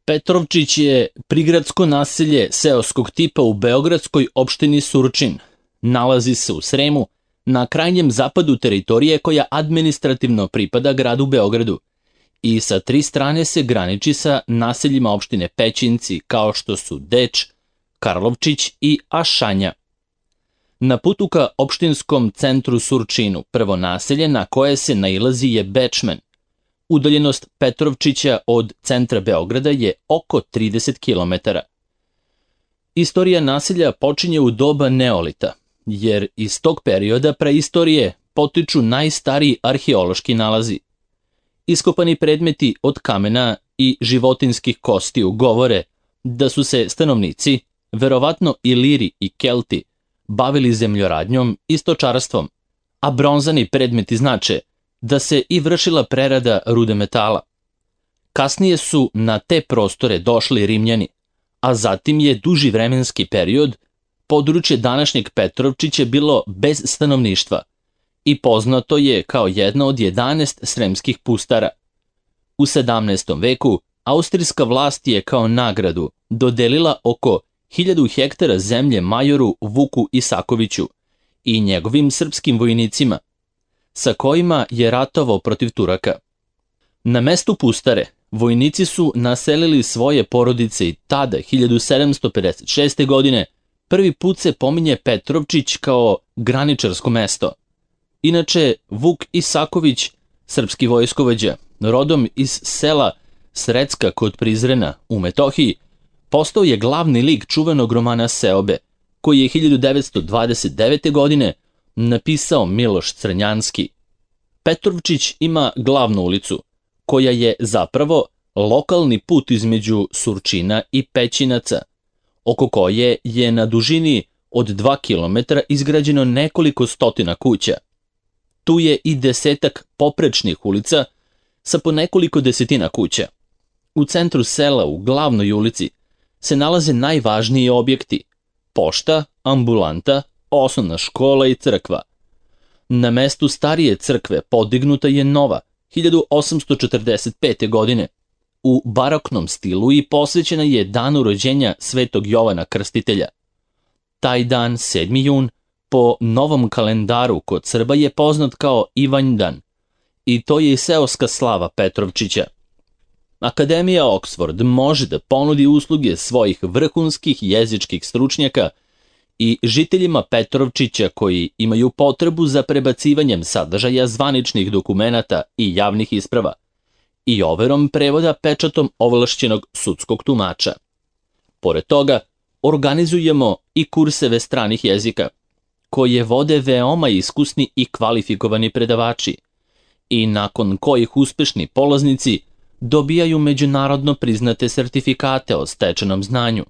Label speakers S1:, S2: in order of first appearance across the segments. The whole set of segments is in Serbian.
S1: Petrovčić je prigradsko naselje seoskog tipa u beogradskoj opštini Surčin. Nalazi se u Sremu, na krajnjem zapadu teritorije koja administrativno pripada gradu Beogradu i sa 3 strane se graniči sa naseljima opštine Pećinci kao što su Deč, Karlovčić i Ašanja. Na putu ka opštinskom centru Surčinu prvo naselje na koje se nailazi je Bečmen. Udaljenost Petrovčića od centra Beograda je oko 30 km. Istorija naselja počinje u doba neolita, jer iz tog perioda preistorije potiču najstariji arheološki nalazi. Iskopani predmeti od kamena i životinskih kostiju govore da su se stanovnici, verovatno Iliri i Kelti, bavili zemljoradnjom i stočarstvom, a bronzani predmeti znače da se i vršila prerada rude metala. Kasnije su na te prostore došli Rimljani, a zatim je duži vremenski period područje današnjeg Petrovčića bilo bez stanovništva i poznato je kao jedno od 11 sremskih pustara. U 17. veku austrijska vlast je kao nagradu dodelila oko 1000 hektara zemlje majoru Vuku Isakoviću i njegovim srpskim vojnicima, sa kojima je ratovao protiv Turaka. Na mestu pustare vojnici su naselili svoje porodice i tada, 1756. godine, prvi put se pominje Petrovčić kao graničarsko mesto. Inače, Vuk Isaković, srpski vojskovođa, rodom iz sela Srecka kod Prizrena u Metohiji, postao je glavni lik čuvenog romana Seobe, koji je 1929. godine napisao Miloš Crnjanski. Petrovčić ima glavnu ulicu, koja je zapravo lokalni put između Surčina i Pećinaca, oko koje je na dužini od 2 km izgrađeno nekoliko stotina kuća. Tu je i 10-ak poprečnih ulica sa po nekoliko desetina kuća. U centru sela, u glavnoj ulici, se nalaze najvažniji objekti: pošta, ambulanta, osnovna škola i crkva. Na mestu starije crkve podignuta je nova, 1845. godine, u baroknom stilu i posvećena je danu rođenja Svetog Jovana Krstitelja. Taj dan, 7. jun, po novom kalendaru kod Srba je poznat kao Ivanjdan i to je i seoska slava Petrovčića. Akademija Oxford može da ponudi usluge svojih vrhunskih jezičkih stručnjaka i žiteljima Petrovčića koji imaju potrebu za prebacivanjem sadržaja zvaničnih dokumenata i javnih isprava i overom prevoda pečatom ovlašćenog sudskog tumača. Pored toga, organizujemo i kurseve stranih jezika, koje vode veoma iskusni i kvalifikovani predavači i nakon kojih uspešni polaznici dobijaju međunarodno priznate sertifikate o stečenom znanju.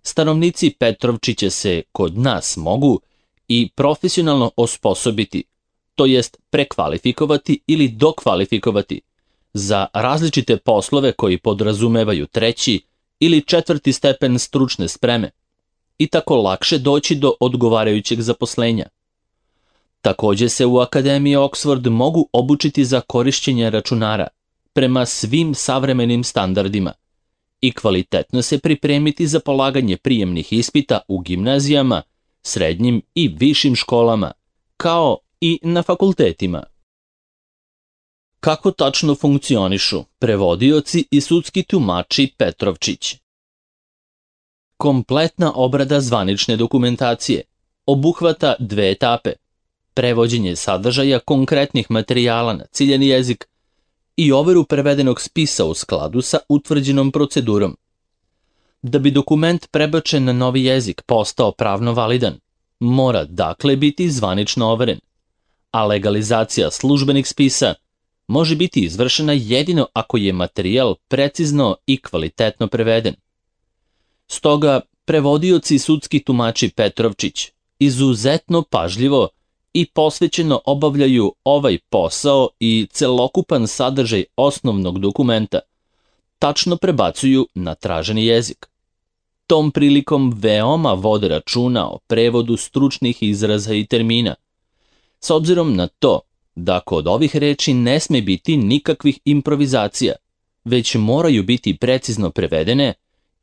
S1: Stanovnici Petrovčića se kod nas mogu i profesionalno osposobiti, to jest prekvalifikovati ili dokvalifikovati za različite poslove koji podrazumevaju 3. ili 4. stepen stručne spreme i tako lakše doći do odgovarajućeg zaposlenja. Takođe se u Akademiji Oxford mogu obučiti za korišćenje računara prema svim savremenim standardima i kvalitetno se pripremiti za polaganje prijemnih ispita u gimnazijama, srednjim i višim školama, kao i na fakultetima. Kako tačno funkcionišu prevodioci i sudski tumači Petrovčić? Kompletna obrada zvanične dokumentacije obuhvata 2 etape: prevođenje sadržaja konkretnih materijala na ciljani jezik i overu prevedenog spisa u skladu sa utvrđenom procedurom. Da bi dokument prebačen na novi jezik postao pravno validan, mora dakle biti zvanično overen, a legalizacija službenih spisa može biti izvršena jedino ako je materijal precizno i kvalitetno preveden. Stoga, prevodioci i sudski tumači Petrovčić izuzetno pažljivo i posvećeno obavljaju ovaj posao i celokupan sadržaj osnovnog dokumenta tačno prebacuju na traženi jezik. Tom prilikom veoma vode računa o prevodu stručnih izraza i termina, s obzirom na to da kod ovih reči ne sme biti nikakvih improvizacija, već moraju biti precizno prevedene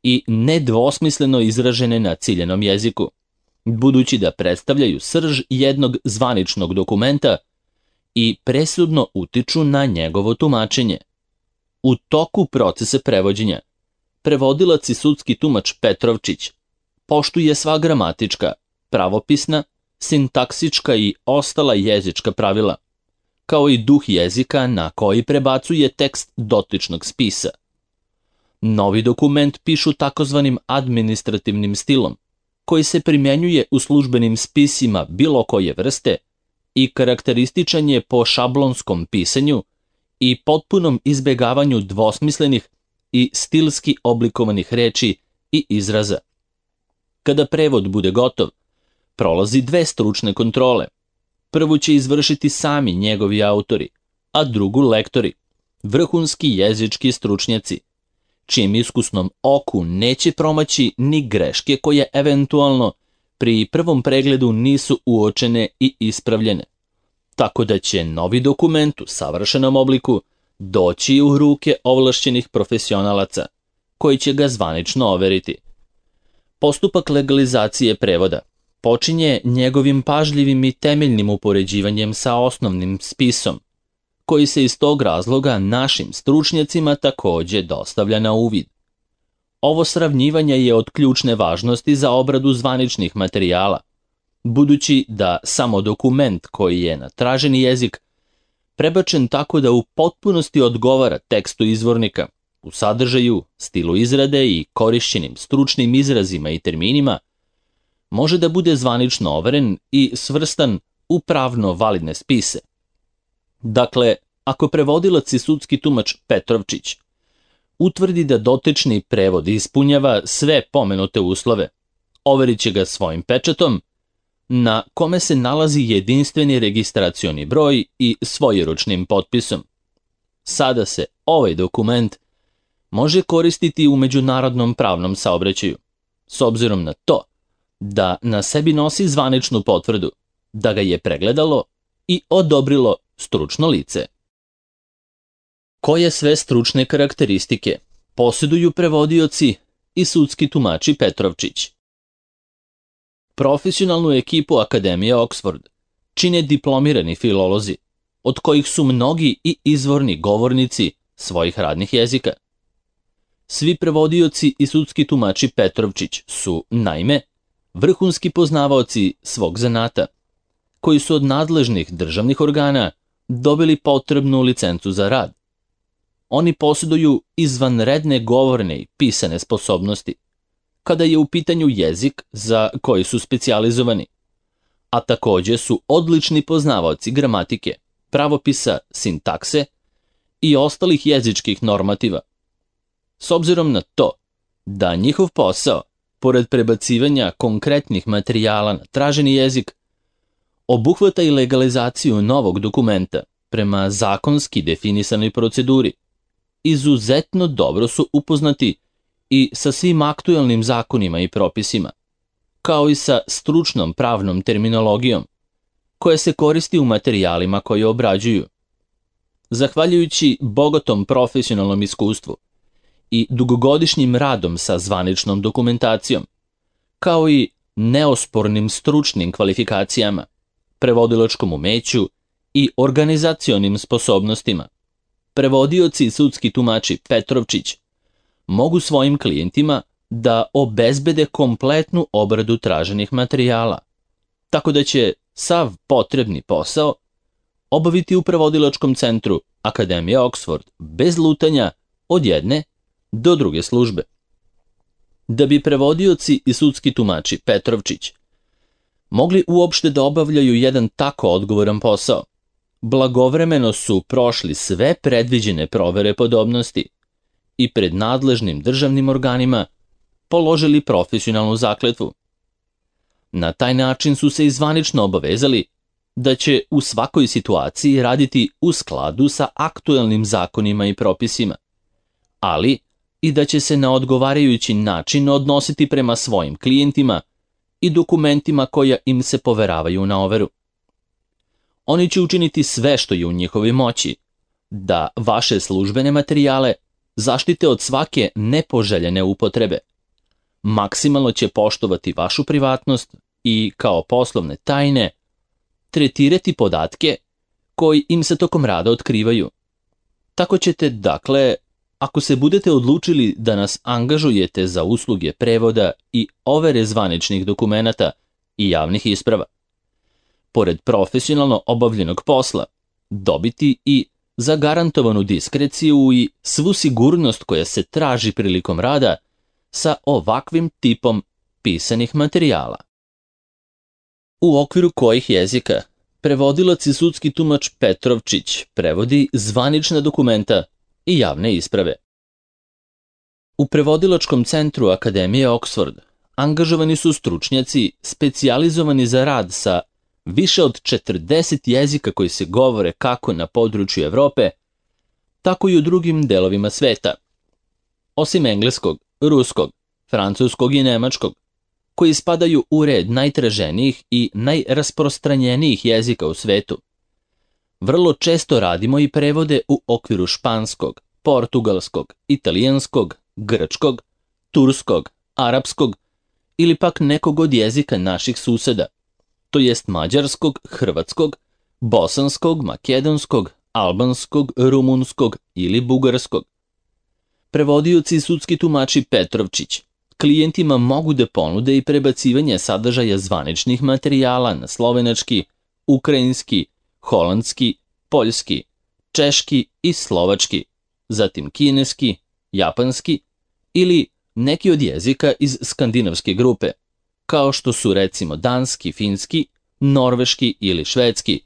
S1: i nedvosmisleno izražene na ciljanom jeziku, budući da predstavljaju srž jednog zvaničnog dokumenta i presudno utiču na njegovo tumačenje. U toku procesa prevođenja, prevodilac i sudski tumač Petrovčić poštuje sva gramatička, pravopisna, sintaksička i ostala jezička pravila, kao i duh jezika na koji prebacuje tekst dotičnog spisa. Novi dokument pišu takozvanim administrativnim stilom, koji se primjenjuje u službenim spisima bilo koje vrste i karakterističan je po šablonskom pisanju i potpunom izbegavanju dvosmislenih i stilski oblikovanih reči i izraza. Kada prevod bude gotov, prolazi 2 stručne kontrole. Prvu će izvršiti sami njegovi autori, a drugu lektori, vrhunski jezički stručnjaci, čijem iskusnom oku neće promaći ni greške koje eventualno pri prvom pregledu nisu uočene i ispravljene, tako da će novi dokument u savršenom obliku doći u ruke ovlašćenih profesionalaca, koji će ga zvanično overiti. Postupak legalizacije prevoda počinje njegovim pažljivim i temeljnim upoređivanjem sa osnovnim spisom, koji se iz tog razloga našim stručnjacima takođe dostavlja na uvid. Ovo sravnjivanje je od ključne važnosti za obradu zvaničnih materijala, budući da samo dokument koji je na traženi jezik prebačen tako da u potpunosti odgovara tekstu izvornika, u sadržaju, stilu izrade i korišćenim stručnim izrazima i terminima, može da bude zvanično overen i svrstan u pravno validne spise. Dakle, ako prevodilac i sudski tumač Petrovčić utvrdi da dotični prevod ispunjava sve pomenute uslove, overit će ga svojim pečatom, na kome se nalazi jedinstveni registracioni broj i svojeručnim potpisom. Sada se ovaj dokument može koristiti u međunarodnom pravnom saobraćaju, s obzirom na to da na sebi nosi zvaničnu potvrdu, da ga je pregledalo i odobrilo stručno lice. Koje sve stručne karakteristike posjeduju prevodioci i sudski tumači Petrovčić? Profesionalnu ekipu Akademije Oxford čine diplomirani filolozi, od kojih su mnogi i izvorni govornici svojih radnih jezika. Svi prevodioci i sudski tumači Petrovčić su, naime, vrhunski poznavaoci svog zanata, koji su od nadležnih državnih organa dobili potrebnu licencu za rad. Oni posjeduju izvanredne govorne i pisane sposobnosti, kada je u pitanju jezik za koji su specijalizovani, a takođe su odlični poznavaoci gramatike, pravopisa, sintakse i ostalih jezičkih normativa. S obzirom na to da njihov posao, pored prebacivanja konkretnih materijala na traženi jezik, obuhvata i legalizaciju novog dokumenta prema zakonski definisanoj proceduri, izuzetno dobro su upoznati i sa svim aktuelnim zakonima i propisima, kao i sa stručnom pravnom terminologijom, koja se koristi u materijalima koje obrađuju. Zahvaljujući bogatom profesionalnom iskustvu i dugogodišnjim radom sa zvaničnom dokumentacijom, kao i neospornim stručnim kvalifikacijama, prevodilačkom umeću i organizacionim sposobnostima, prevodioci i sudski tumači Petrovčić mogu svojim klijentima da obezbede kompletnu obradu traženih materijala, tako da će sav potrebni posao obaviti u prevodilačkom centru Akademije Oxford bez lutanja od jedne do druge službe. Da bi prevodioci i sudski tumači Petrovčić mogli uopšte da obavljaju jedan tako odgovoran posao, blagovremeno su prošli sve predviđene provere podobnosti i pred nadležnim državnim organima položili profesionalnu zakletvu. Na taj način su se i zvanično obavezali da će u svakoj situaciji raditi u skladu sa aktuelnim zakonima i propisima, ali i da će se na odgovarajući način odnositi prema svojim klijentima i dokumentima koja im se poveravaju na overu. Oni će učiniti sve što je u njihovoj moći da vaše službene materijale zaštite od svake nepoželjene upotrebe. Maksimalno će poštovati vašu privatnost i, kao poslovne tajne, tretirati podatke koji im se tokom rada otkrivaju. Tako ćete, dakle, ako se budete odlučili da nas angažujete za usluge prevoda i overe zvaničnih dokumenata i javnih isprava, pored profesionalno obavljenog posla, dobiti i zagarantovanu diskreciju i svu sigurnost koja se traži prilikom rada sa ovakvim tipom pisanih materijala. U okviru kojih jezika prevodilac i sudski tumač Petrovčić prevodi zvanična dokumenta i javne isprave. U prevodilačkom centru Akademije Oxford angažovani su stručnjaci specijalizovani za rad sa više od 40 jezika koji se govore kako na području Evrope, tako i u drugim delovima sveta. Osim engleskog, ruskog, francuskog i nemačkog, koji spadaju u red najtraženijih i najrasprostranjenijih jezika u svetu. Vrlo često radimo i prevode u okviru španskog, portugalskog, italijanskog, grčkog, turskog, arapskog ili pak nekog od jezika naših suseda, to jest mađarskog, hrvatskog, bosanskog, makedonskog, albanskog, rumunskog ili bugarskog. Prevodioci i sudski tumači Petrovčić klijentima mogu da ponude i prebacivanje sadržaja zvaničnih materijala na slovenački, ukrajinski, holandski, poljski, češki i slovački, zatim kineski, japanski ili neki od jezika iz skandinavske grupe, kao što su recimo danski, finski, norveški ili švedski,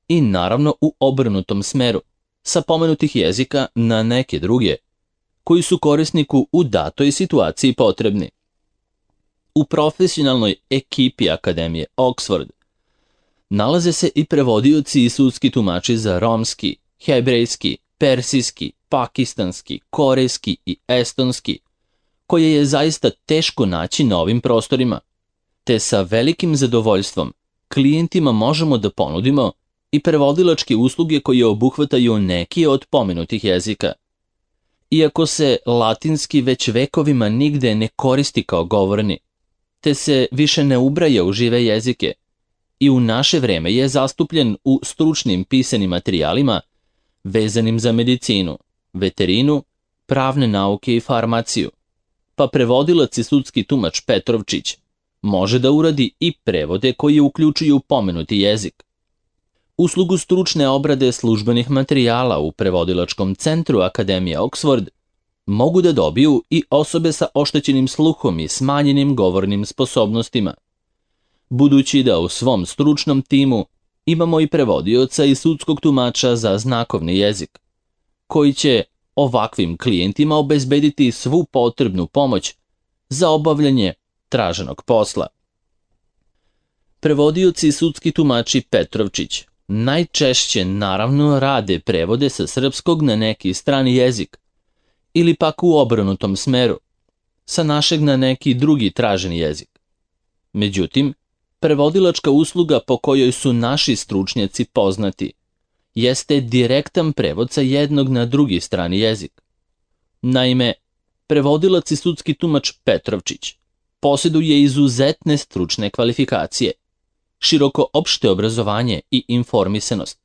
S1: i naravno u obrnutom smeru, sa pomenutih jezika na neke druge, koji su korisniku u datoj situaciji potrebni. U profesionalnoj ekipi Akademije Oxford nalaze se i prevodioci i sudski tumači za romski, hebrejski, persijski, pakistanski, korejski i estonski, koje je zaista teško naći na ovim prostorima, te sa velikim zadovoljstvom klijentima možemo da ponudimo i prevodilačke usluge koje obuhvataju neki od pomenutih jezika. Iako se latinski već vekovima nigde ne koristi kao govorni, te se više ne ubraja u žive jezike, i u naše vreme je zastupljen u stručnim pisanim materijalima vezanim za medicinu, veterinu, pravne nauke i farmaciju, pa prevodilac i sudski tumač Petrovčić može da uradi i prevode koji uključuju pomenuti jezik. Uslugu stručne obrade službenih materijala u prevodilačkom centru Akademije Oxford mogu da dobiju i osobe sa oštećenim sluhom i smanjenim govornim sposobnostima, budući da u svom stručnom timu imamo i prevodioca i sudskog tumača za znakovni jezik, koji će ovakvim klijentima obezbediti svu potrebnu pomoć za obavljanje traženog posla. Prevodioci i sudski tumači Petrovčić najčešće naravno rade prevode sa srpskog na neki strani jezik, ili pak u obrnutom smeru, sa našeg na neki drugi traženi jezik. Međutim, prevodilačka usluga po kojoj su naši stručnjaci poznati jeste direktan prevod sa jednog na drugi strani jezik. Naime, prevodilac i sudski tumač Petrovčić posjeduje izuzetne stručne kvalifikacije, široko opšte obrazovanje i informisanost,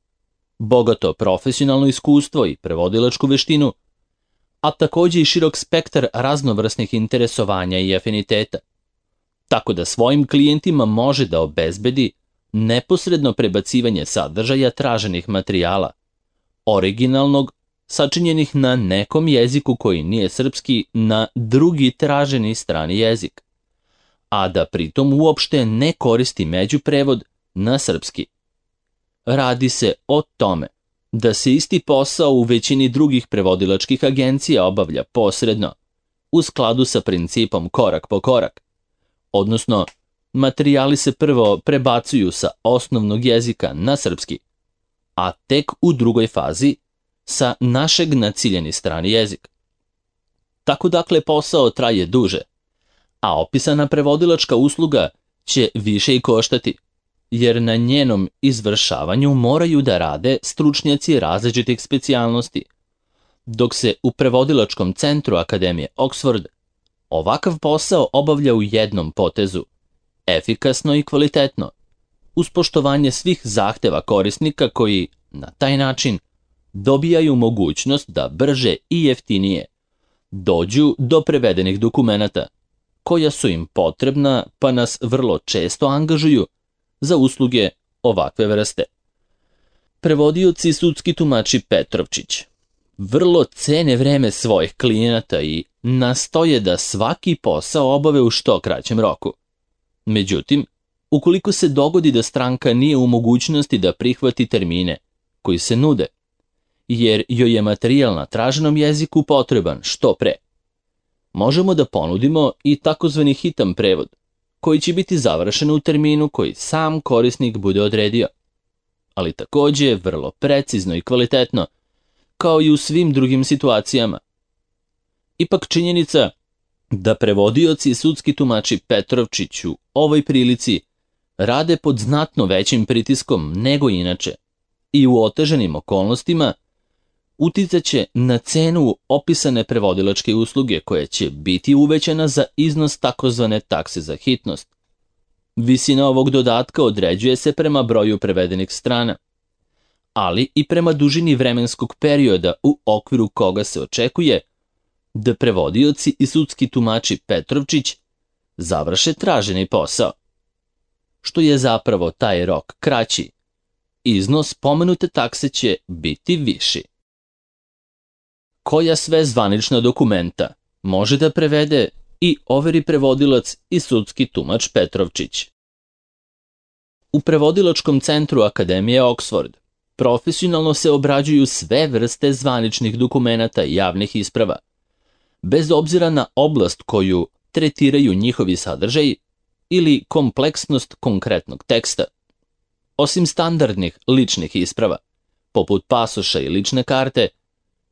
S1: bogato profesionalno iskustvo i prevodilačku veštinu, a takođe i širok spektar raznovrsnih interesovanja i afiniteta, tako da svojim klijentima može da obezbedi neposredno prebacivanje sadržaja traženih materijala, originalnog, sačinjenih na nekom jeziku koji nije srpski, na drugi traženi strani jezik, a da pritom uopšte ne koristi međuprevod na srpski. Radi se o tome da se isti posao u većini drugih prevodilačkih agencija obavlja posredno, u skladu sa principom korak po korak, odnosno materijali se prvo prebacuju sa osnovnog jezika na srpski, a tek u drugoj fazi sa našeg na ciljeni strani jezik. Tako dakle posao traje duže, a opisana prevodilačka usluga će više i koštati, jer na njenom izvršavanju moraju da rade stručnjaci različitih specijalnosti, dok se u prevodilačkom centru Akademije Oxford ovakav posao obavlja u jednom potezu, efikasno i kvalitetno, uz poštovanje svih zahteva korisnika koji, na taj način, dobijaju mogućnost da brže i jeftinije dođu do prevedenih dokumenata, koja su im potrebna pa nas vrlo često angažuju za usluge ovakve vrste. Prevodioci i sudski tumači Petrovčić vrlo cene vreme svojih klijenata i nastoje da svaki posao obave u što kraćem roku. Međutim, ukoliko se dogodi da stranka nije u mogućnosti da prihvati termine koji se nude, jer joj je materijal na traženom jeziku potreban što pre, možemo da ponudimo i takozvani hitan prevod, koji će biti završen u terminu koji sam korisnik bude odredio, ali takođe vrlo precizno i kvalitetno, kao i u svim drugim situacijama. Ipak činjenica da prevodioci i sudski tumači Petrovčić u ovoj prilici rade pod znatno većim pritiskom nego inače i u otežanim okolnostima uticaće na cenu opisane prevodilačke usluge koja će biti uvećana za iznos takozvane takse za hitnost. Visina ovog dodatka određuje se prema broju prevedenih strana, ali i prema dužini vremenskog perioda u okviru koga se očekuje da prevodioci i sudski tumači Petrovčić završe traženi posao. Što je zapravo taj rok kraći, iznos pomenute takse će biti viši. Koja sve zvanična dokumenta može da prevede i overi prevodilac i sudski tumač Petrovčić? U prevodilačkom centru Akademije Oxford profesionalno se obrađuju sve vrste zvaničnih dokumenata i javnih isprava, bez obzira na oblast koju tretiraju njihovi sadržaji ili kompleksnost konkretnog teksta. Osim standardnih ličnih isprava, poput pasoša i lične karte,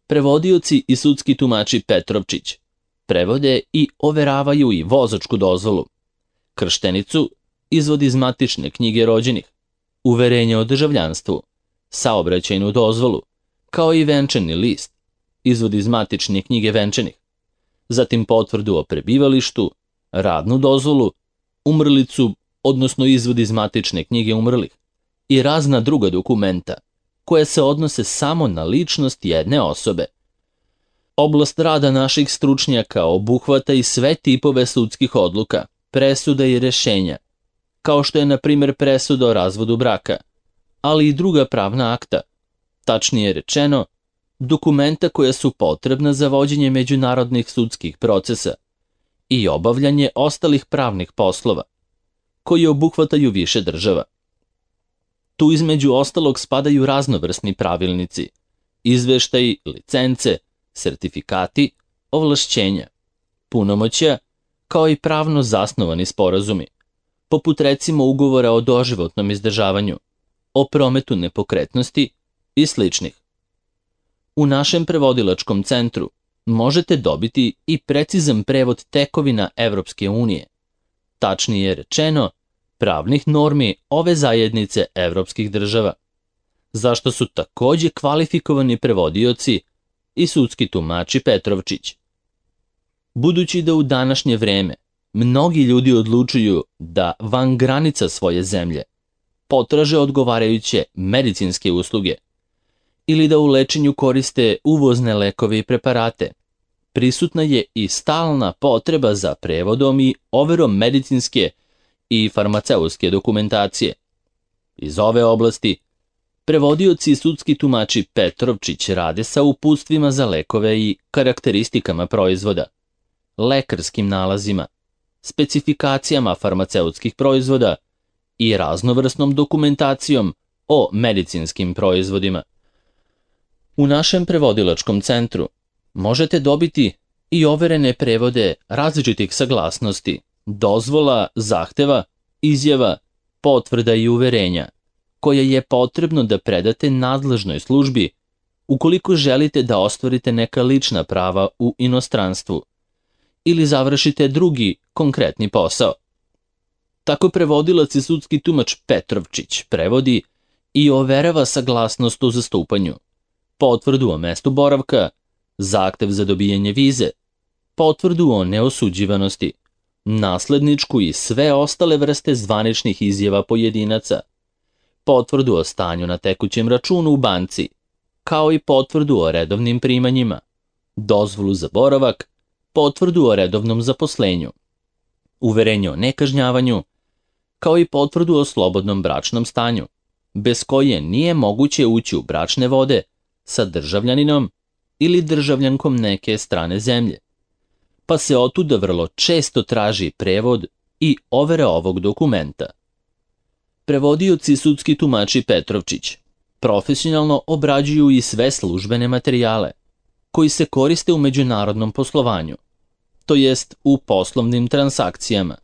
S1: prevodioci i sudski tumači Petrovčić prevode i overavaju i vozačku dozvolu, krštenicu, izvod iz matične knjige rođenih, uverenje o državljanstvu, saobraćajnu dozvolu, kao i venčani list, izvod iz matične knjige venčanih, zatim potvrdu o prebivalištu, radnu dozvolu, umrlicu, odnosno izvod iz matične knjige umrlih, i razna druga dokumenta koje se odnose samo na ličnost jedne osobe. Oblast rada naših stručnjaka obuhvata i sve tipove sudskih odluka, presuda i rešenja, kao što je na primjer presuda o razvodu braka, ali i druga pravna akta, tačnije rečeno, dokumenta koja su potrebna za vođenje međunarodnih sudskih procesa i obavljanje ostalih pravnih poslova, koji obuhvataju više država. Tu između ostalog spadaju raznovrsni pravilnici, izveštaji, licence, sertifikati, ovlašćenja, punomoćja, kao i pravno zasnovani sporazumi, poput recimo ugovora o doživotnom izdržavanju, o prometu nepokretnosti i sličnih. U našem prevodilačkom centru možete dobiti i precizan prevod tekovina Evropske unije, tačnije rečeno, pravnih normi ove zajednice evropskih država, zašto su takođe kvalifikovani prevodioci i sudski tumači Petrovčić. Budući da u današnje vreme mnogi ljudi odlučuju da van granica svoje zemlje potraže odgovarajuće medicinske usluge ili da u lečenju koriste uvozne lekove i preparate, prisutna je i stalna potreba za prevodom i overom medicinske i farmaceutske dokumentacije. Iz ove oblasti prevodioci i sudski tumači Petrovčić rade sa uputstvima za lekove i karakteristikama proizvoda, lekarskim nalazima, specifikacijama farmaceutskih proizvoda i raznovrsnom dokumentacijom o medicinskim proizvodima. U našem prevodilačkom centru možete dobiti i overene prevode različitih saglasnosti, dozvola, zahteva, izjava, potvrda i uverenja, koje je potrebno da predate nadležnoj službi ukoliko želite da ostvarite neka lična prava u inostranstvu ili završite drugi konkretni posao. Tako prevodilac i sudski tumač Petrovčić prevodi i overava saglasnost o zastupanju, potvrdu o mestu boravka, zahtev za dobijanje vize, potvrdu o neosuđivanosti, nasledničku i sve ostale vrste zvaničnih izjava pojedinaca, potvrdu o stanju na tekućem računu u banci, kao i potvrdu o redovnim primanjima, dozvolu za boravak, potvrdu o redovnom zaposlenju, uverenje o nekažnjavanju, kao i potvrdu o slobodnom bračnom stanju, bez koje nije moguće ući u bračne vode sa državljaninom ili državljankom neke strane zemlje, pa se otuda vrlo često traži prevod i overa ovog dokumenta. Prevodioci i sudski tumači Petrovčić profesionalno obrađuju i sve službene materijale koji se koriste u međunarodnom poslovanju, to jest u poslovnim transakcijama,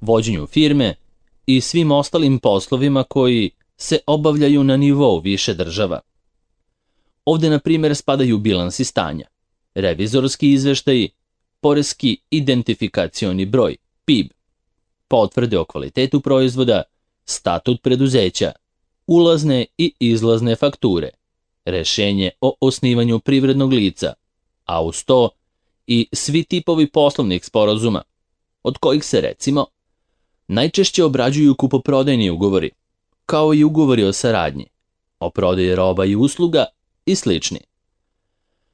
S1: vođenju firme i svim ostalim poslovima koji se obavljaju na nivou više država. Ovde, na primjer, spadaju bilansi stanja, revizorski izveštaji, poreski identifikacioni broj, PIB, potvrde o kvalitetu proizvoda, statut preduzeća, ulazne i izlazne fakture, rešenje o osnivanju privrednog lica, a uz to i svi tipovi poslovnih sporazuma, od kojih se, recimo, najčešće obrađuju kupoprodajni ugovori, kao i ugovori o saradnji, o prodaji roba i usluga i slični.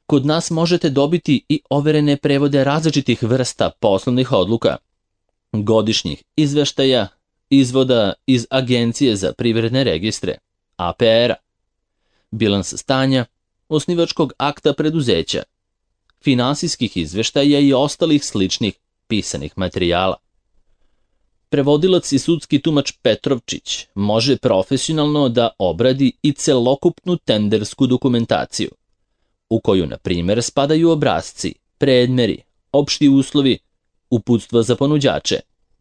S1: Kod nas možete dobiti i overene prevode različitih vrsta poslovnih odluka, godišnjih izveštaja, izvoda iz Agencije za privredne registre, APR-a, bilans stanja, osnivačkog akta preduzeća, finansijskih izveštaja i ostalih sličnih pisanih materijala. Prevodilac i sudski tumač Petrovčić može profesionalno da obradi i celokupnu tendersku dokumentaciju, u koju, na primjer, spadaju obrasci, predmeri, opšti uslovi, uputstva za ponuđače,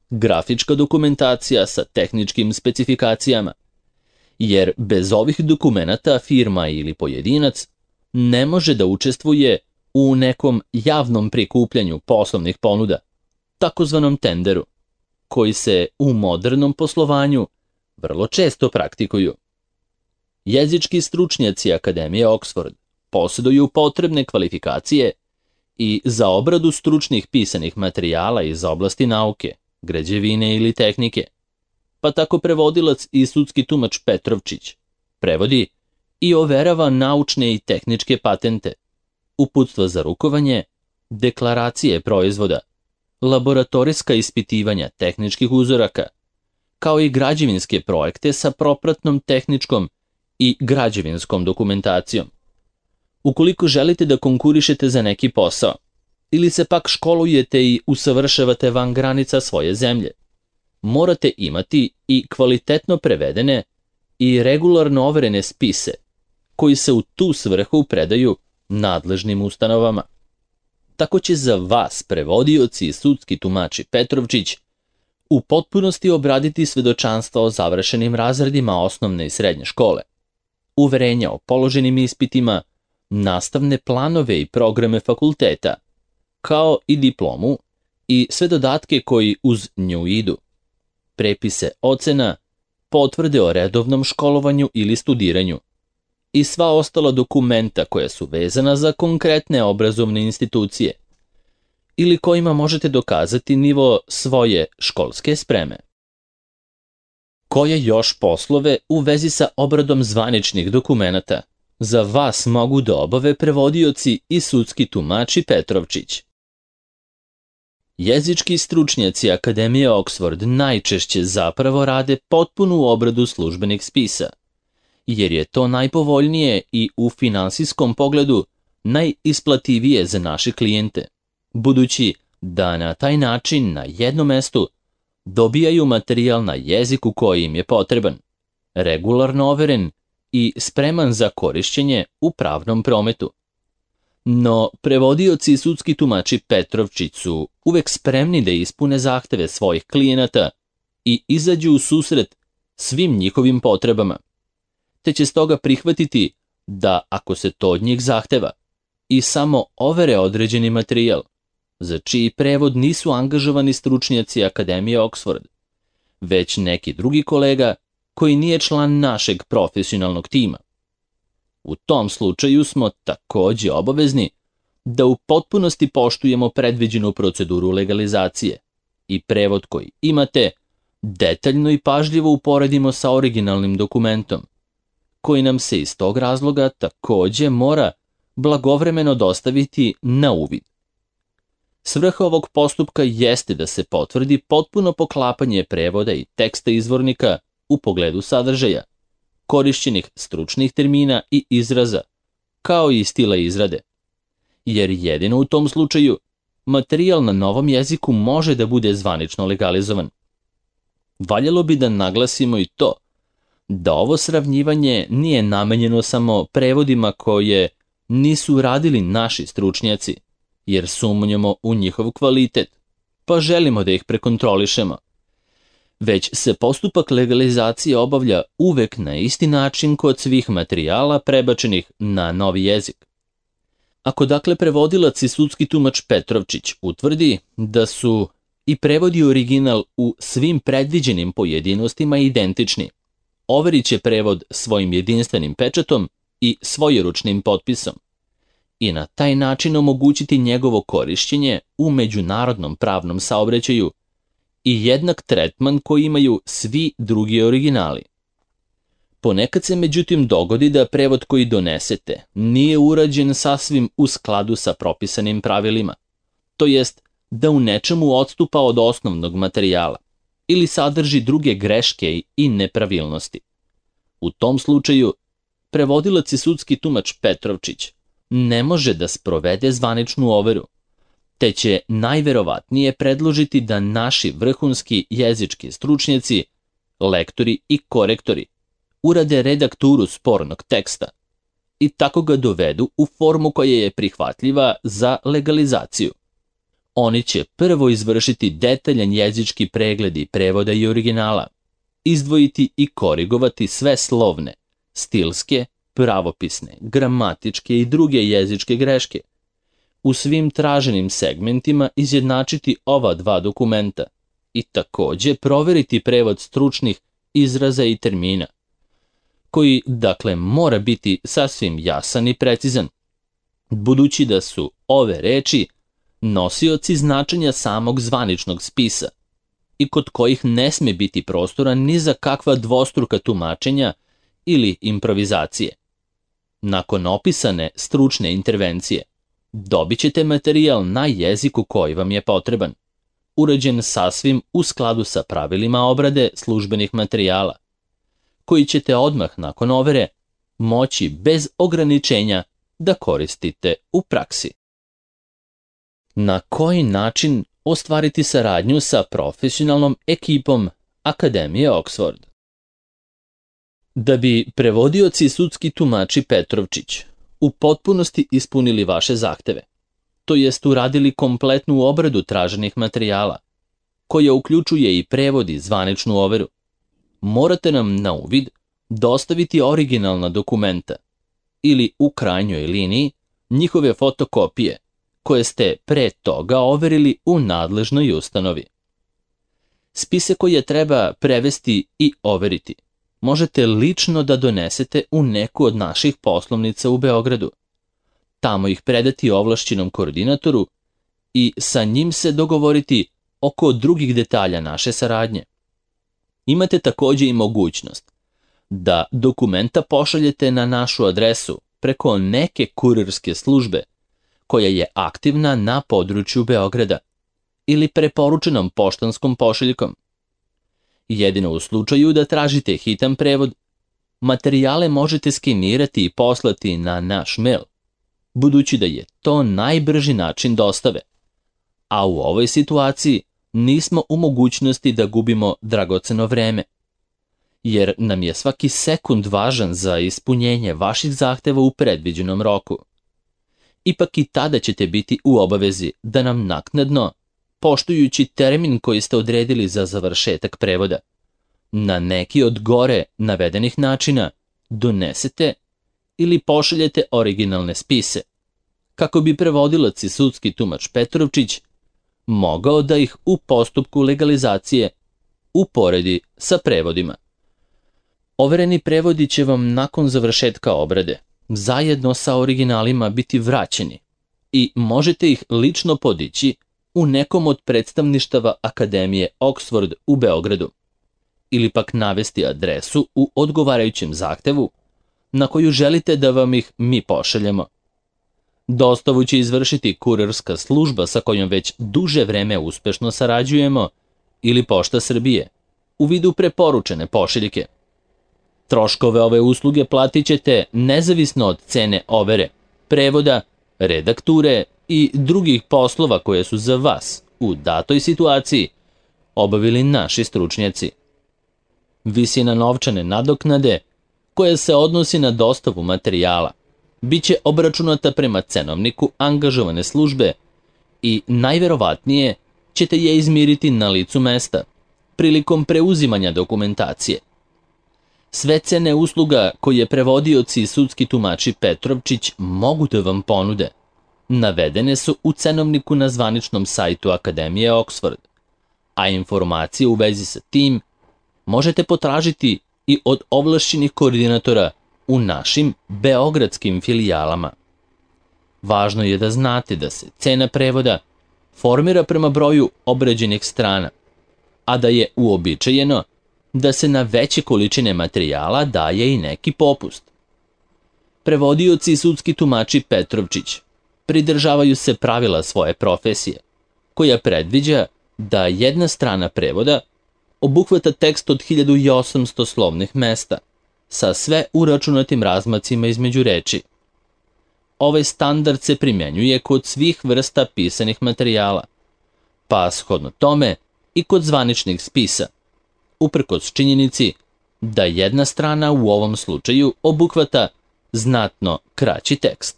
S1: grafička dokumentacija sa tehničkim specifikacijama, jer bez ovih dokumenata firma ili pojedinac ne može da učestvuje u nekom javnom prikupljanju poslovnih ponuda, takozvanom tenderu, koji se u modernom poslovanju vrlo često praktikuju. Jezički stručnjaci Akademije Oxford posjeduju potrebne kvalifikacije i za obradu stručnih pisanih materijala iz oblasti nauke, građevine ili tehnike, pa tako prevodilac i sudski tumač Petrovčić prevodi i overava naučne i tehničke patente, uputstva za rukovanje, deklaracije proizvoda, laboratorijska ispitivanja tehničkih uzoraka, kao i građevinske projekte sa propratnom tehničkom i građevinskom dokumentacijom. Ukoliko želite da konkurišete za neki posao, ili se pak školujete i usavršavate van granica svoje zemlje, morate imati i kvalitetno prevedene i regularno overene spise, koji se u tu svrhu predaju nadležnim ustanovama. Tako će za vas prevodioci i sudski tumači Petrovčić u potpunosti obraditi svedočanstva o završenim razredima osnovne i srednje škole, uverenja o položenim ispitima, nastavne planove i programe fakulteta, kao i diplomu i sve dodatke koji uz nju idu, prepise ocena, potvrde o redovnom školovanju ili studiranju i sva ostala dokumenta koja su vezana za konkretne obrazovne institucije ili kojima možete dokazati nivo svoje školske spreme. Koje još poslove u vezi sa obradom zvaničnih dokumenata za vas mogu da obave prevodioci i sudski tumači Petrovčić? Jezički stručnjaci Akademije Oxford najčešće zapravo rade potpunu obradu službenih spisa, jer je to najpovoljnije i u finansijskom pogledu najisplativije za naše klijente, budući da na taj način na jednom mestu dobijaju materijal na jeziku koji im je potreban, regularno overen i spreman za korišćenje u pravnom prometu. No, prevodioci i sudski tumači Petrovčić su uvek spremni da ispune zahteve svojih klijenata i izađu u susret svim njihovim potrebama, te će stoga prihvatiti da, ako se to od njih zahteva, i samo overe određeni materijal, za čiji prevod nisu angažovani stručnjaci Akademije Oxford, već neki drugi kolega koji nije član našeg profesionalnog tima. U tom slučaju smo takođe obavezni da u potpunosti poštujemo predviđenu proceduru legalizacije i prevod koji imate detaljno i pažljivo uporedimo sa originalnim dokumentom, koji nam se iz tog razloga takođe mora blagovremeno dostaviti na uvid. Svrha ovog postupka jeste da se potvrdi potpuno poklapanje prevoda i teksta izvornika u pogledu sadržaja, korišćenih stručnih termina i izraza, kao i stila izrade, jer jedino u tom slučaju materijal na novom jeziku može da bude zvanično legalizovan. Valjalo bi da naglasimo i to da ovo sravnjivanje nije namenjeno samo prevodima koje nisu radili naši stručnjaci, jer sumnjamo u njihov kvalitet, pa želimo da ih prekontrolišemo, već se postupak legalizacije obavlja uvek na isti način kod svih materijala prebačenih na novi jezik. Ako dakle prevodilac i sudski tumač Petrovčić utvrdi da su i prevod i original u svim predviđenim pojedinostima identični, overit će prevod svojim jedinstvenim pečatom i svojeručnim potpisom i na taj način omogućiti njegovo korišćenje u međunarodnom pravnom saobraćaju i jednak tretman koji imaju svi drugi originali. Ponekad se međutim dogodi da prevod koji donesete nije urađen sasvim u skladu sa propisanim pravilima, to jest da u nečemu odstupa od osnovnog materijala ili sadrži druge greške i nepravilnosti. U tom slučaju, prevodilac i sudski tumač Petrovčić ne može da sprovede zvaničnu overu, te će najverovatnije predložiti da naši vrhunski jezički stručnjaci, lektori i korektori urade redakturu spornog teksta i tako ga dovedu u formu koja je prihvatljiva za legalizaciju. Oni će prvo izvršiti detaljan jezički pregled i prevoda i originala, izdvojiti i korigovati sve slovne, stilske, pravopisne, gramatičke i druge jezičke greške, u svim traženim segmentima izjednačiti ova dva dokumenta i takođe proveriti prevod stručnih izraza i termina, koji dakle mora biti sasvim jasan i precizan, budući da su ove reči nosioci značenja samog zvaničnog spisa i kod kojih ne sme biti prostora ni za kakva dvostruka tumačenja ili improvizacije. Nakon opisane stručne intervencije, dobit ćete materijal na jeziku koji vam je potreban, urađen sasvim u skladu sa pravilima obrade službenih materijala, koji ćete odmah nakon overe moći bez ograničenja da koristite u praksi. Na koji način ostvariti saradnju sa profesionalnom ekipom Akademije Oxford? Da bi prevodioci i sudski tumači Petrovčić u potpunosti ispunili vaše zahteve, to jest uradili kompletnu obradu traženih materijala, koja uključuje i prevod i zvaničnu overu, morate nam na uvid dostaviti originalna dokumenta ili u krajnjoj liniji njihove fotokopije koje ste pre toga overili u nadležnoj ustanovi. Spise koje treba prevesti i overiti možete lično da donesete u neku od naših poslovnica u Beogradu, tamo ih predati ovlašćenom koordinatoru i sa njim se dogovoriti oko drugih detalja naše saradnje. Imate takođe i mogućnost da dokumenta pošaljete na našu adresu preko neke kurirske službe koja je aktivna na području Beograda ili preporučenom poštanskom pošiljkom. Jedino u slučaju da tražite hitan prevod, materijale možete skenirati i poslati na naš mail, budući da je to najbrži način dostave, a u ovoj situaciji nismo u mogućnosti da gubimo dragoceno vreme, jer nam je svaki sekund važan za ispunjenje vaših zahteva u predviđenom roku. Ipak i tada ćete biti u obavezi da nam naknadno, poštujući termin koji ste odredili za završetak prevoda, na neki od gore navedenih načina donesete ili pošaljete originalne spise, kako bi prevodilac i sudski tumač Petrovčić mogao da ih u postupku legalizacije uporedi sa prevodima. Overeni prevodi će vam nakon završetka obrade zajedno sa originalima biti vraćeni, i možete ih lično podići u nekom od predstavništava Akademije Oxford u Beogradu ili pak navesti adresu u odgovarajućem zahtevu na koju želite da vam ih mi pošaljemo. Dostavu će izvršiti kurirska služba sa kojom već duže vreme uspešno sarađujemo ili Pošta Srbije u vidu preporučene pošiljke. Troškove ove usluge platit ćete nezavisno od cene overe, prevoda, redakture i drugih poslova koje su za vas u datoj situaciji obavili naši stručnjaci. Visina novčane nadoknade koja se odnosi na dostavu materijala biće obračunata prema cenovniku angažovane službe i najverovatnije ćete je izmiriti na licu mesta prilikom preuzimanja dokumentacije. Sve cene usluga koje prevodioci i sudski tumači Petrovčić mogu da vam ponude navedene su u cenovniku na zvaničnom sajtu Akademije Oxford, a informacije u vezi sa tim možete potražiti i od ovlašćenih koordinatora u našim beogradskim filijalama. Važno je da znate da se cena prevoda formira prema broju obrađenih strana, a da je uobičajeno da se na veće količine materijala daje i neki popust. Prevodioci i sudski tumači Petrovčić pridržavaju se pravila svoje profesije, koja predviđa da jedna strana prevoda obuhvata tekst od 1800 slovnih mesta, sa sve uračunatim razmacima između reči. Ovaj standard se primjenjuje kod svih vrsta pisanih materijala, pa shodno tome i kod zvaničnih spisa, uprkos činjenici da jedna strana u ovom slučaju obuhvata znatno kraći tekst.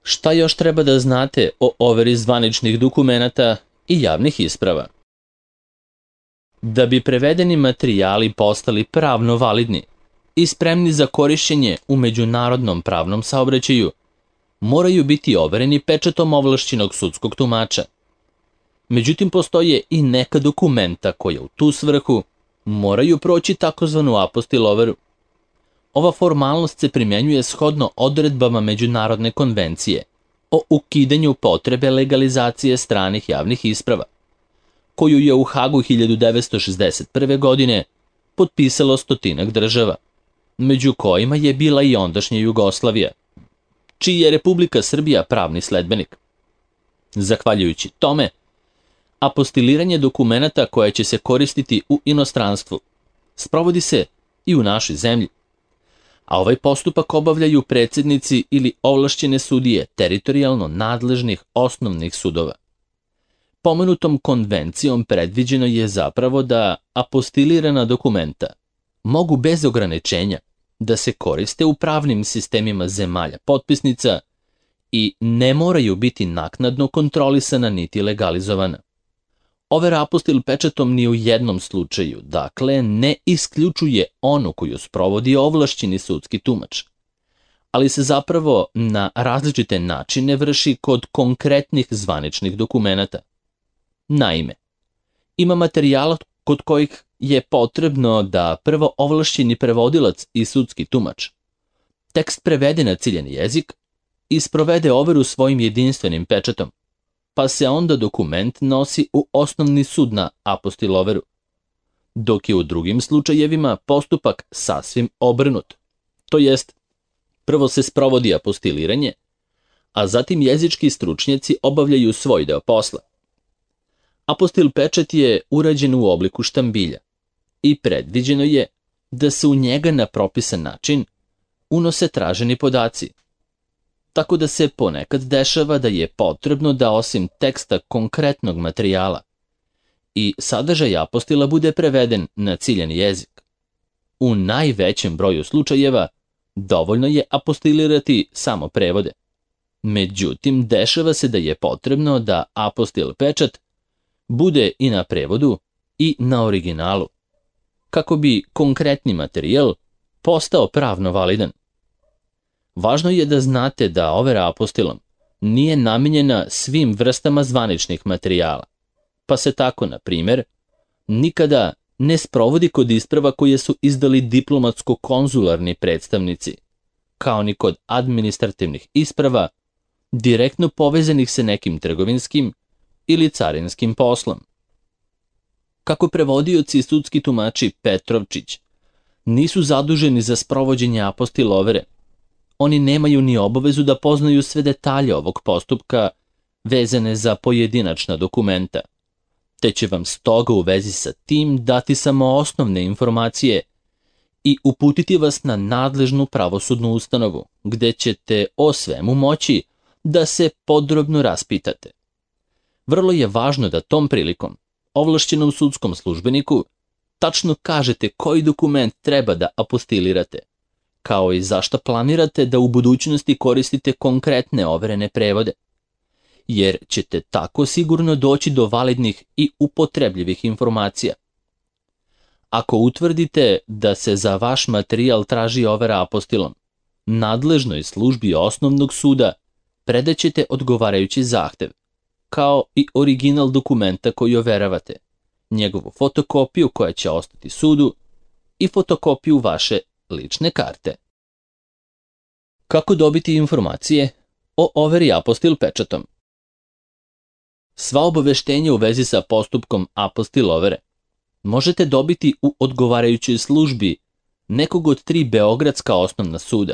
S1: Šta još treba da znate o overi zvaničnih dokumenata i javnih isprava? Da bi prevedeni materijali postali pravno validni i spremni za korišćenje u međunarodnom pravnom saobraćaju, moraju biti overeni pečatom ovlašćenog sudskog tumača. Međutim, postoje i neka dokumenta koja u tu svrhu moraju proći takozvanu apostil overu. Ova formalnost se primjenjuje shodno odredbama Međunarodne konvencije o ukidanju potrebe legalizacije stranih javnih isprava, koju je u Hagu 1961. godine potpisalo 100 država, među kojima je bila i ondašnja Jugoslavija, čiji je Republika Srbija pravni sledbenik. Zahvaljujući tome, apostiliranje dokumenata koje će se koristiti u inostranstvu sprovodi se i u našoj zemlji, a ovaj postupak obavljaju predsjednici ili ovlašćene sudije teritorijalno nadležnih osnovnih sudova. Pomenutom konvencijom predviđeno je zapravo da apostilirana dokumenta mogu bez ograničenja da se koriste u pravnim sistemima zemalja potpisnica i ne moraju biti naknadno kontrolisana niti legalizovana. Overa apostil pečatom ni u jednom slučaju, dakle, ne isključuje onu koju sprovodi ovlašćeni sudski tumač, ali se zapravo na različite načine vrši kod konkretnih zvaničnih dokumenata. Naime, ima materijala kod kojih je potrebno da prvo ovlašćeni prevodilac i sudski tumač tekst prevede na ciljani jezik i sprovede overu svojim jedinstvenim pečatom, pa se onda dokument nosi u osnovni sud na apostil overu, dok je u drugim slučajevima postupak sasvim obrnut. To jest, prvo se sprovodi apostiliranje, a zatim jezički stručnjaci obavljaju svoj deo posla. Apostil pečat je urađen u obliku štambilja i predviđeno je da se u njega na propisan način unose traženi podaci, tako da se ponekad dešava da je potrebno da osim teksta konkretnog materijala i sadržaj apostila bude preveden na ciljani jezik. U najvećem broju slučajeva dovoljno je apostilirati samo prevode. Međutim, dešava se da je potrebno da apostil pečat bude i na prevodu i na originalu, kako bi konkretni materijal postao pravno validan. Važno je da znate da overa apostilom nije namijenjena svim vrstama zvaničnih materijala, pa se tako, na primjer, nikada ne sprovodi kod isprava koje su izdali diplomatsko-konzularni predstavnici, kao ni kod administrativnih isprava direktno povezanih sa nekim trgovinskim ili carinskim poslom. Kako prevodioci i sudski tumači Petrovčić nisu zaduženi za sprovođenje apostilovere, oni nemaju ni obavezu da poznaju sve detalje ovog postupka vezane za pojedinačna dokumenta, te će vam stoga u vezi sa tim dati samo osnovne informacije i uputiti vas na nadležnu pravosudnu ustanovu, gde ćete o svemu moći da se podrobno raspitate. Vrlo je važno da tom prilikom ovlašćenom sudskom službeniku tačno kažete koji dokument treba da apostilirate, kao i zašto planirate da u budućnosti koristite konkretne overene prevode, jer ćete tako sigurno doći do validnih i upotrebljivih informacija. Ako utvrdite da se za vaš materijal traži overa apostilom, nadležnoj službi osnovnog suda predaćete odgovarajući zahtev, kao i original dokumenta koji overavate, njegovu fotokopiju koja će ostati sudu i fotokopiju vaše lične karte. Kako dobiti informacije o overi apostil pečatom? Sva obaveštenja u vezi sa postupkom apostil overe možete dobiti u odgovarajućoj službi nekog od 3 beogradska osnovna suda,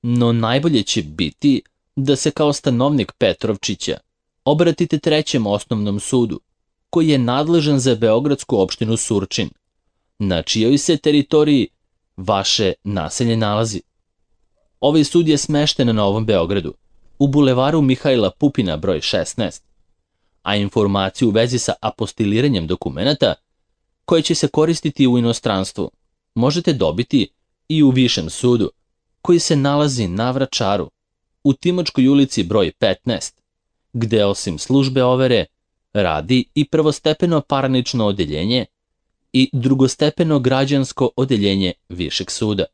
S1: no najbolje će biti da se kao stanovnik Petrovčića obratite 3. osnovnom sudu, koji je nadležan za beogradsku opštinu Surčin, na čijoj se teritoriji vaše naselje nalazi. Ovaj sud je smešten na Novom Beogradu, u bulevaru Mihajla Pupina broj 16, a informaciju u vezi sa apostiliranjem dokumenata koje će se koristiti u inostranstvu možete dobiti i u Višem sudu, koji se nalazi na Vračaru, u Timočkoj ulici broj 15, gde osim službe overe radi i prvostepeno parnično odeljenje i drugostepeno građansko odeljenje Višeg suda.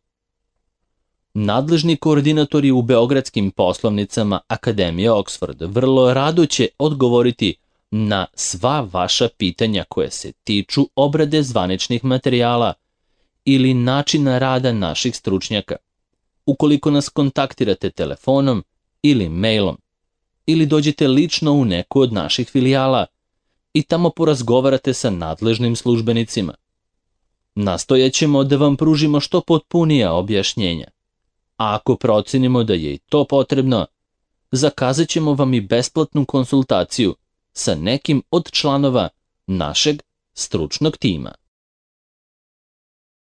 S1: Nadležni koordinatori u beogradskim poslovnicama Akademije Oxford vrlo rado će odgovoriti na sva vaša pitanja koje se tiču obrade zvaničnih materijala ili načina rada naših stručnjaka, ukoliko nas kontaktirate telefonom ili mailom, ili dođete lično u neku od naših filijala i tamo porazgovarate sa nadležnim službenicima. Nastojaćemo da vam pružimo što potpunija objašnjenja, a ako procenimo da je i to potrebno, zakazat ćemo vam i besplatnu konsultaciju sa nekim od članova našeg stručnog tima.